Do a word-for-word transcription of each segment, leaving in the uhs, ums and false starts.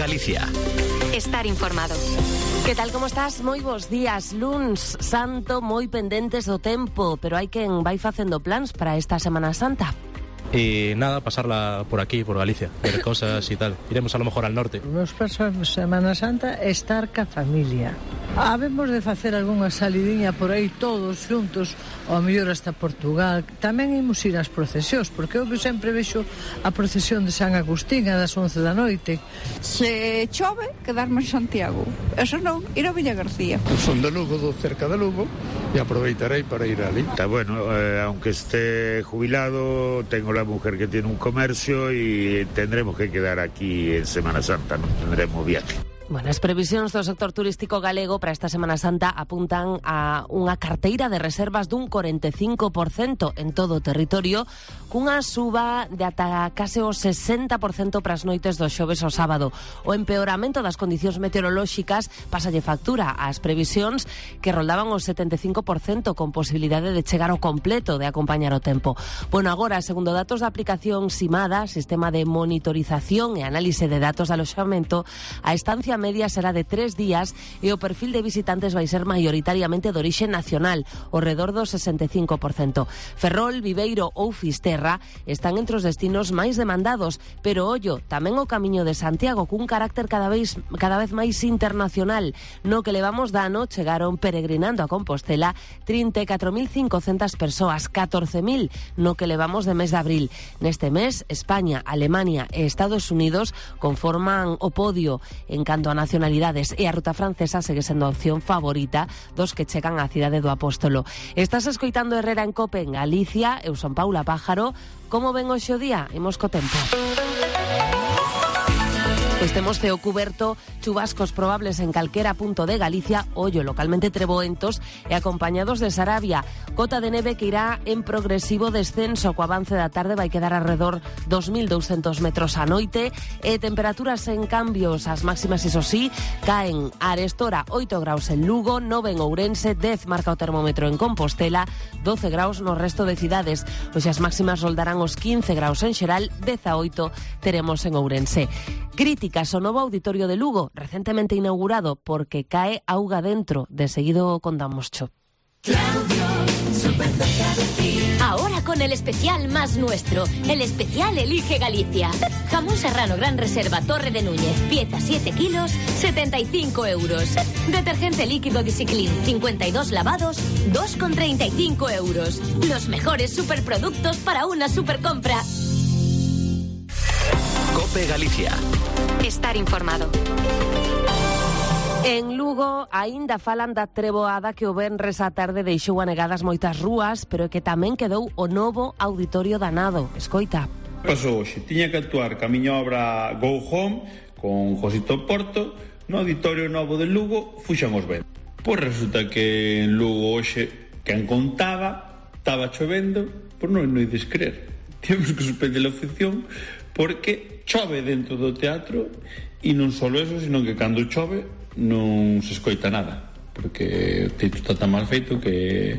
Galicia. Estar informado. Que tal, como estás? Moi bons días. Luns santo, moi pendentes do tempo, pero hai quen vai facendo plans para esta Semana Santa. Y nada, pasarla por aquí, por Galicia, ver cosas y tal. Iremos a lo mejor al norte. Nos pasamos Semana Santa estar ca familia. Habemos de facer algunha salidiña por aí todos juntos, ou mellor hasta Portugal. Tamén imos ir ás procesións, porque eu sempre vexo a procesión de San Agustín a das once da noite. Se chove, quedarme en Santiago. Eso non, ir a Villa García. Son de Lugo, do cerca de Lugo, e aproveitarei para ir ali. Está bueno, eh, aunque esté jubilado, tengo la mujer que tiene un comercio y tendremos que quedar aquí en Semana Santa, non tendremos viaje. Bueno, as previsións do sector turístico galego para esta Semana Santa apuntan a unha carteira de reservas dun cuarenta e cinco por cento en todo o territorio, cunha suba de ata case o sesenta por cento para as noites do xoves ao sábado. O empeoramento das condicións meteorolóxicas pasalle factura ás previsións que roldaban o setenta e cinco por cento con posibilidade de chegar ao completo de acompañar o tempo. Bueno, agora, segundo datos da aplicación Simada, Sistema de Monitorización e Análise de Datos de Aloxamento, a estancia media será de tres días e o perfil de visitantes vai ser maioritariamente de orixe nacional, ao redor do sesenta e cinco por cento. Ferrol, Viveiro ou Fisterra están entre os destinos máis demandados, pero ollo, tamén o Camiño de Santiago, cun carácter cada vez, cada vez máis internacional. No que levamos de ano chegaron peregrinando a Compostela trinta e catro mil cincocentas persoas, catorce mil no que levamos de mes de abril. Neste mes, España, Alemania e Estados Unidos conforman o podio. En canto a nacionalidades, e a ruta francesa segue sendo a opción favorita dos que chegan á cidade do Apóstolo. Estás escoitando Herrera en Cope en Galicia. Eu son Paula Pájaro. Como ven hoxe o día? Imos co tempo. Pois temos ceo cuberto, chubascos probables en calquera punto de Galicia, ollo localmente treboentos e acompañados de Sarabia. Cota de neve que irá en progresivo descenso, co avance da tarde vai quedar alrededor dos mil douscentos metros a noite e temperaturas en cambios. As máximas, iso sí, caen a arestora oito graus en Lugo, nove en Ourense, dez marca o termómetro en Compostela, doce graus no resto de cidades. Pois as máximas roldarán os quince graus en Xeral, dezaoito teremos en Ourense. Críticas ao novo auditorio de Lugo, recentemente inaugurado, porque cae auga dentro. De seguido contamos cho. Claudio, súper cerca de ti. Ahora con el especial más nuestro, el especial Elige Galicia. Jamón serrano Gran Reserva Torre de Núñez, pieza siete kilos, setenta y cinco euros. Detergente líquido Disciclin, cincuenta y dos lavados, dos con treinta y cinco euros. Los mejores superproductos para una supercompra. Cope Galicia. Estar informado. En Lugo aínda falan da treboada que o venres á tarde deixou anegadas moitas rúas, pero que tamén quedou o novo auditorio danado. Escoita. Pasou hoxe, tiña que actuar ca miña obra Go Home con Josito Porto no auditorio novo de Lugo, fuxan os ventos. Pois resulta que en Lugo hoxe, quen contaba, estaba chovendo, pois non non ides creer. Temos que suspender a función porque chove dentro do teatro e non só eso, sino que cando chove non se escoita nada, porque o teito está tan mal feito que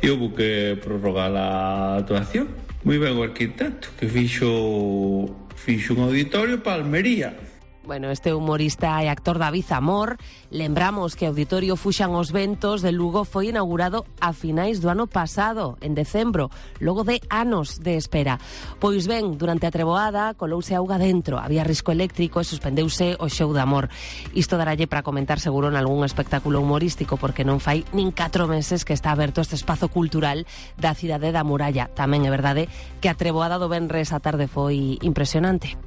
houve que prorrogar a actuación. Moi ben o arquitecto que fixo fixo un auditorio para Almería. Bueno, este humorista e actor David Zamor, lembramos que o Auditorio Fuxan os Ventos de Lugo foi inaugurado a finais do ano pasado, en decembro, logo de anos de espera. Pois ben, durante a treboada colouse auga dentro, había risco eléctrico e suspendeuse o show de amor. Isto daralle para comentar seguro en algún espectáculo humorístico, porque non fai nin catro meses que está aberto este espazo cultural da cidade da Muralla. Tamén é verdade que a treboada do venres á tarde foi impresionante.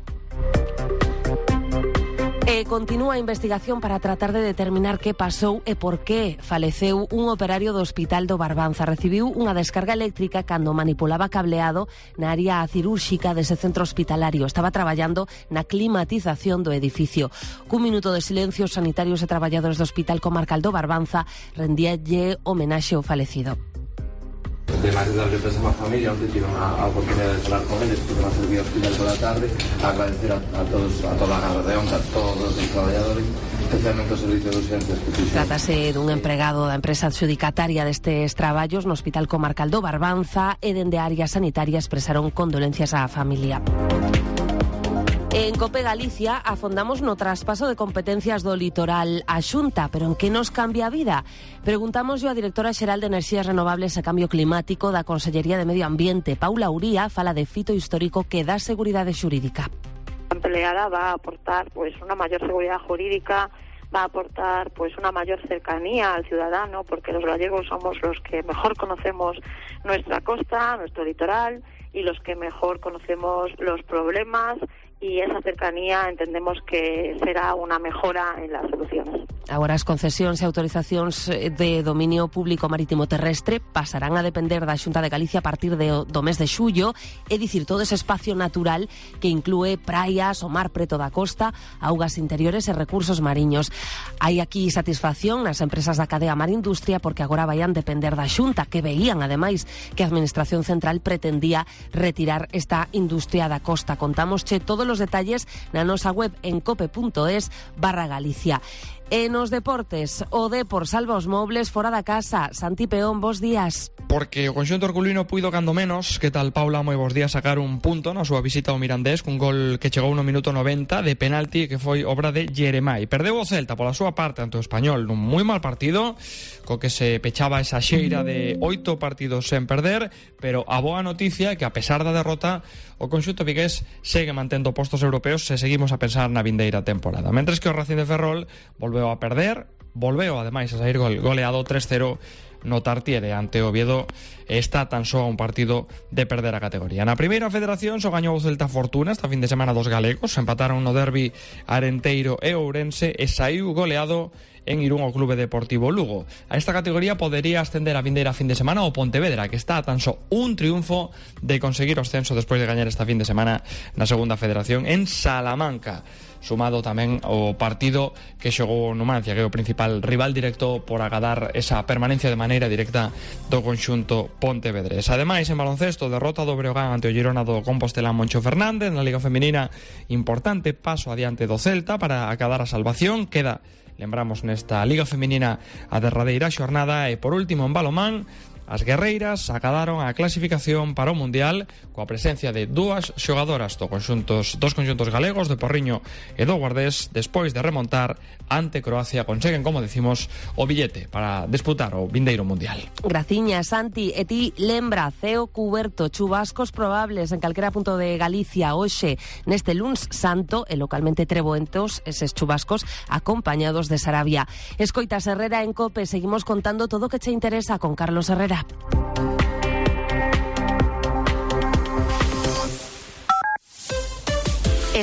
E continúa a investigación para tratar de determinar que pasou e por que faleceu un operario do Hospital do Barbanza. Recibiu unha descarga eléctrica cando manipulaba cableado na área cirúrxica dese centro hospitalario. Estaba traballando na climatización do edificio. Cun minuto de silencio, os sanitarios e traballadores do Hospital Comarcal do Barbanza rendíalle homenaxe ao falecido. Además de darle pésame a familia, onde tive a oportunidade de falar con eles, porque va a servir ao hospital toda a tarde, a agradecer a, a todos, a toda a Gala de Onca, a todos os traballadores, especialmente o servicio de urgencias que fixo. Trátase dun empregado da empresa adxudicataria destes traballos no Hospital Comarcal do Barbanza e dende a área sanitaria expresaron condolencias á familia. En COPE Galicia afondamos no traspaso de competencias do litoral á Xunta, pero en que nos cambia a vida? Preguntamos yo a directora xeral de Enerxías Renovables e Cambio Climático da Consellería de Medio Ambiente, Paula Uría, fala de fito histórico que dá seguridade xurídica. La empleada va a aportar pues una mayor seguridad jurídica, va a aportar pues una mayor cercanía al ciudadano, porque los gallegos somos los que mejor conocemos nuestra costa, nuestro litoral, y los que mejor conocemos los problemas, y esa cercanía entendemos que será una mejora en las soluciones. Agora as concesións e autorizacións de dominio público marítimo terrestre pasarán a depender da Xunta de Galicia a partir de, do mes de xullo, é dicir, todo ese espacio natural que inclúe praias, o mar preto da costa, augas interiores e recursos mariños. Hai aquí satisfacción nas empresas da cadea Mar Industria porque agora vayan depender da Xunta, que veían, ademais, que a Administración Central pretendía retirar esta industria da costa. Contámosche todos os detalles na nosa web en cope.es barra Galicia. E nos deportes, o Depor salva os mobles fora da casa. Santi Peón, bos días. Porque o conxunto herculino puido cando menos. Que tal, Paula? Moi bos días, sacar un punto na súa visita ao Mirandés cun gol que chegou no minuto noventa de penalti que foi obra de Jeremai. Perdeu o Celta pola súa parte ante o Español nun moi mal partido, co que se pechaba esa xeira de oito partidos sen perder, pero a boa noticia é que a pesar da derrota o conxunto vigués segue mantendo postos europeos se seguimos a pensar na vindeira temporada. Mentres que o Racing de Ferrol volveu a perder, volveu ademais a sair gol, goleado tres cero no Tartiere ante o Oviedo. Está tan só a un partido de perder a categoría. Na primeira federación só gañou o Celta Fortuna esta fin de semana dos galegos, empataron no derbi Arenteiro e Ourense e saiu goleado en Irún o Clube Deportivo Lugo. A esta categoría podería ascender a vindeira fin de semana o Pontevedra, que está a tan só un triunfo de conseguir o ascenso despois de gañar esta fin de semana na segunda federación en Salamanca, sumado tamén o partido que xogou Numancia, que é o principal rival directo por agadar esa permanencia de maneira directa do conxunto pontevedrés. Ademais, en baloncesto, derrota do Breogán ante o Girona do Compostela Moncho Fernández na Liga Feminina, importante paso adiante do Celta para acadar a salvación. Queda, lembramos, nesta Liga Feminina a derradeira xornada. E por último, en balomán, as guerreiras acadaron a clasificación para o Mundial coa presencia de dúas xogadoras do conxuntos, dos conxuntos galegos, de Porriño e do Guardés. Despois de remontar ante Croacia, conseguen, como decimos, o billete para disputar o vindeiro Mundial. Graciña, Santi. E ti lembra, ceo cuberto, chubascos probables en calquera punto de Galicia hoxe neste luns santo e localmente treboentos eses chubascos acompañados de Sarabia. Escoitas Herrera en COPE, seguimos contando todo o que che interesa con Carlos Herrera.